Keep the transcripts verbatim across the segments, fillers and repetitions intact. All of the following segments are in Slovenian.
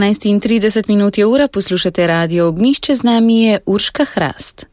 enajst in trideset minut je ura, poslušate Radio Ognjišče, z nami je Urška Hrast.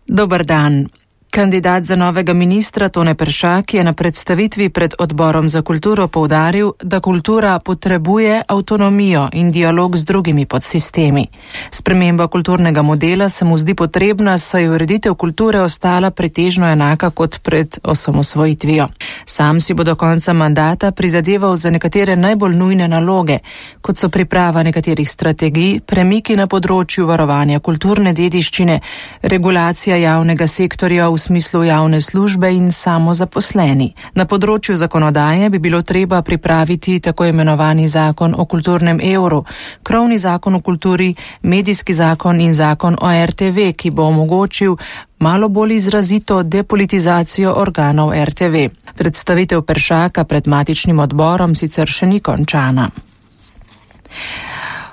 Dobar dan. Kandidat za novega ministra Tone Peršak je na predstavitvi pred Odborom za kulturo poudaril, da kultura potrebuje avtonomijo in dialog z drugimi podsistemi. Sprememba kulturnega modela se mu zdi potrebna, saj je ureditev kulture ostala pretežno enaka kot pred osamosvojitvijo. Sam si bo do konca mandata prizadeval za nekatere najbolj nujne naloge, kot so priprava nekaterih strategij, premiki na področju varovanja kulturne dediščine, regulacija javnega sektorja v smislu javne službe in samozaposleni. Na področju zakonodaje bi bilo treba pripraviti tako imenovani zakon o kulturnem evru, krovni zakon o kulturi, medijski zakon in zakon o er te ve, ki bo omogočil malo bolj izrazito depolitizacijo organov er te ve. Predstavitev Peršaka pred matičnim odborom sicer še ni končana.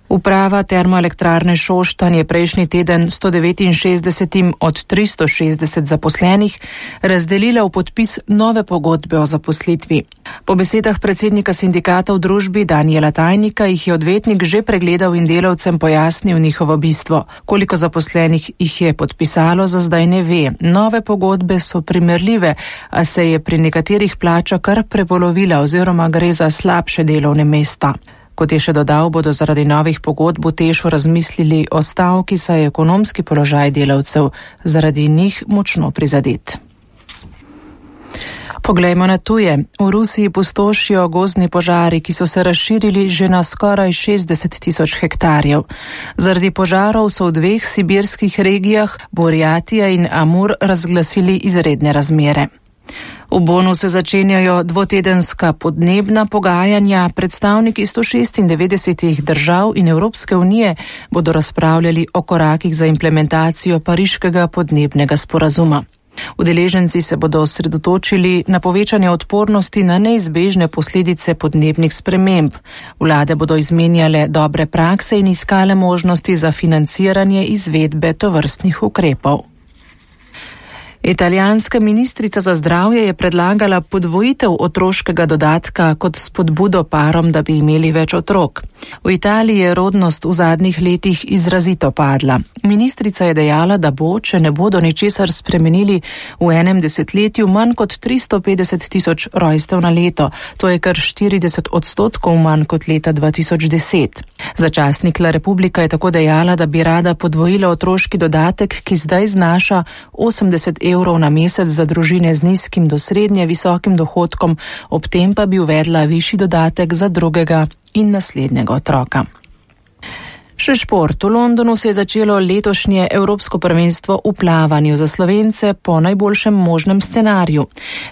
Uprava Termoelektrarne Šoštanj je prejšnji teden sto devetinšestdesetim od tristo šestdeset zaposlenih razdelila v podpis nove pogodbe o zaposlitvi. Po besedah predsednika sindikata v družbi Danijela Tajnika jih je odvetnik že pregledal in delavcem pojasnil njihovo bistvo. Koliko zaposlenih jih je podpisalo, za zdaj ne ve. Nove pogodbe so primerljive, a se je pri nekaterih plača kar prepolovila oziroma gre za slabše delovne mesta. Kot je še dodal, bodo zaradi novih pogodb v Tešu razmislili o stavki, saj je ekonomski položaj delavcev zaradi njih močno prizadet. Poglejmo na tuje. V Rusiji pustošijo gozdni požari, ki so se razširili že na skoraj šestdeset tisoč hektarjev. Zaradi požarov so v dveh sibirskih regijah, Burjatija in Amur, razglasili izredne razmere. V Bonu se začenjajo dvotedenska podnebna pogajanja. Predstavniki sto šestindevetdesetih držav in Evropske unije bodo razpravljali o korakih za implementacijo pariškega podnebnega sporazuma. Udeleženci se bodo osredotočili na povečanje odpornosti na neizbežne posledice podnebnih sprememb. Vlade bodo izmenjale dobre prakse in iskale možnosti za financiranje izvedbe tovrstnih ukrepov. Italijanska ministrica za zdravje je predlagala podvojitev otroškega dodatka kot spodbudo parom, da bi imeli več otrok. V Italiji je rodnost v zadnjih letih izrazito padla. Ministrica je dejala, da bo, če ne bodo ničesar spremenili, v enem desetletju manj kot tristo petdeset tisoč rojstev na leto. To je kar štirideset odstotkov manj kot leta dva tisoč deset. Za časnik La Repubblica je tako dejala, da bi rada podvojila otroški dodatek, ki zdaj znaša osemdeset evrov na mesec za družine z nizkim do srednje visokim dohodkom, ob tem pa bi uvedla višji dodatek za drugega in naslednjega otroka. Še šport. V Londonu se je začelo letošnje Evropsko prvenstvo v plavanju za Slovence po najboljšem možnem scenariju.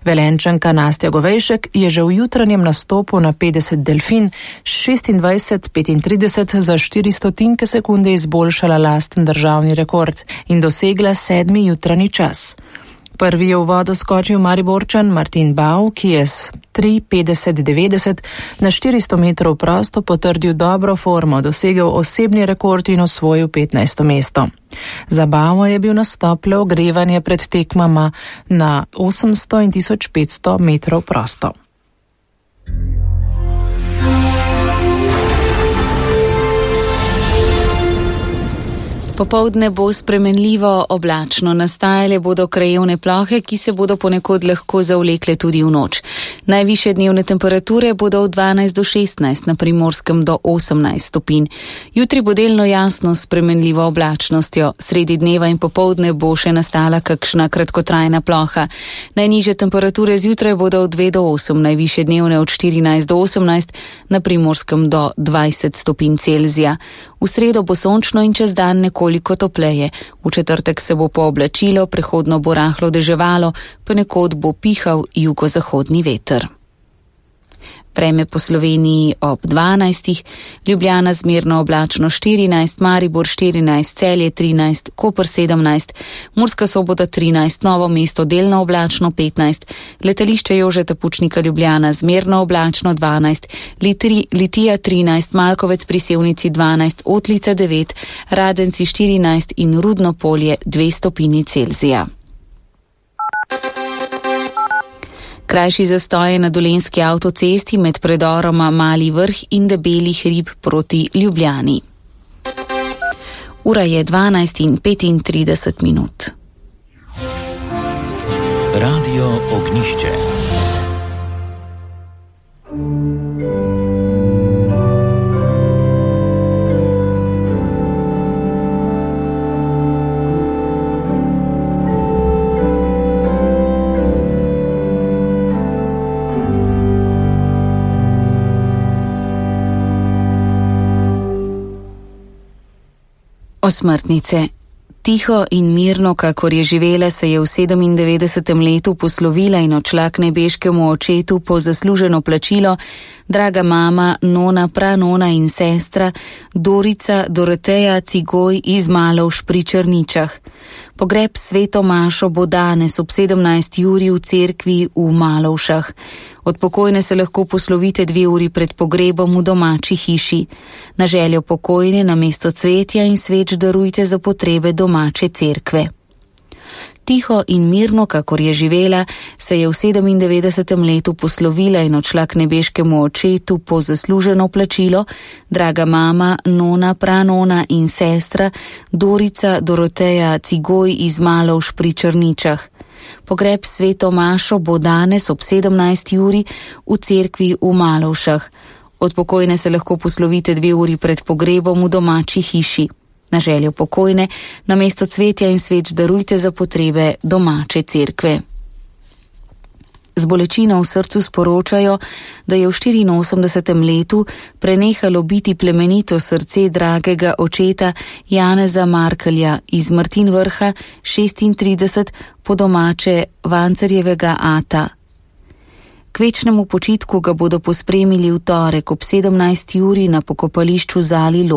Velenčanka Nastja Govejšek je že v jutranjem nastopu na petdeset delfin šestindvajset petintrideset za štiri stotinke sekunde izboljšala lasten državni rekord in dosegla sedmi jutranji čas. Prvi je v vodo skočil Mariborčan Martin Bau, ki je s tri petdeset devetdeset na štiristo metrov prosto potrdil dobro formo, dosegel osebni rekord in osvojil petnajsto mesto. Za Bauo je bil nastop le ogrevanje pred tekmama na osemsto in tisoč petsto metrov prosto. Popoldne bo spremenljivo oblačno, nastajale bodo krajevne plohe, ki se bodo ponekod lahko zavlekle tudi v noč. Najvišje dnevne temperature bodo od dvanajst do šestnajst, na Primorskem do osemnajst stopinj. Jutri bo delno jasno s spremenljivo oblačnostjo, sredi dneva in popoldne bo še nastala kakšna kratkotrajna ploha. Najnižje temperature zjutraj bodo od dve do osem, najvišje dnevne od štirinajst do osemnajst, na Primorskem do dvajset stopinj Celzija. V sredo bo sončno in čez dan nekoliko topleje. V četrtek se bo pooblačilo, prehodno bo rahlo deževalo, ponekod bo pihal jugozahodni veter. Vreme po Sloveniji ob dvanajstih, Ljubljana zmerno oblačno štirinajst, Maribor štirinajst, Celje trinajst, Koper sedemnajst, Murska Sobota trinajst, Novo mesto delno oblačno petnajst, Letališče Jožeta Pučnika Ljubljana zmerno oblačno dvanajst, Litri, Litija trinajst, Malkovec pri Sevnici dvanajst, Otlica devet, Radenci štirinajst in Rudno Polje dve stopinji Celzija. Krajši zastoj je na dolenjski avtocesti med predoroma Mali Vrh in Debeli hrib proti Ljubljani. Ura je dvanajst in petintrideset minut. Radio Ognišče. Osmrtnice. Tiho in mirno, kakor je živela, se je v sedemindevetdesetem letu poslovila in odšla k nebeškemu očetu po zasluženo plačilo draga mama, nona, pranona in sestra Dorica Doroteja Cigoj iz Malovš pri Črničah. Pogreb sveto mašo bo danes ob sedemnajsti uri v cerkvi v Malovšah. Od pokojne se lahko poslovite dve uri pred pogrebom v domači hiši. Na željo pokojne namesto cvetja in sveč darujte za potrebe domače cerkve. Tiho in mirno, kakor je živela, se je v sedemindevetdesetem letu poslovila in odšla k nebeškemu očetu po zasluženo plačilo draga mama, nona, pranona in sestra Dorica Doroteja Cigoj iz Malovš pri Črničah. Pogreb sveto mašo bo danes ob sedemnajsti uri v cerkvi v Malovšah. Od pokojne se lahko poslovite dve uri pred pogrebom v domači hiši. Na željo pokojne namesto cvetja in sveč darujte za potrebe domače cerkve. Z bolečino v srcu sporočajo, da je v štiriinosemdesetem letu prenehalo biti plemenito srce dragega očeta Janeza Markelja iz Martin Vrha šestintrideset, po domače Vancerjevega ata. K večnemu počitku ga bodo pospremili v torek ob sedemnajsti uri na pokopališču Zali Log.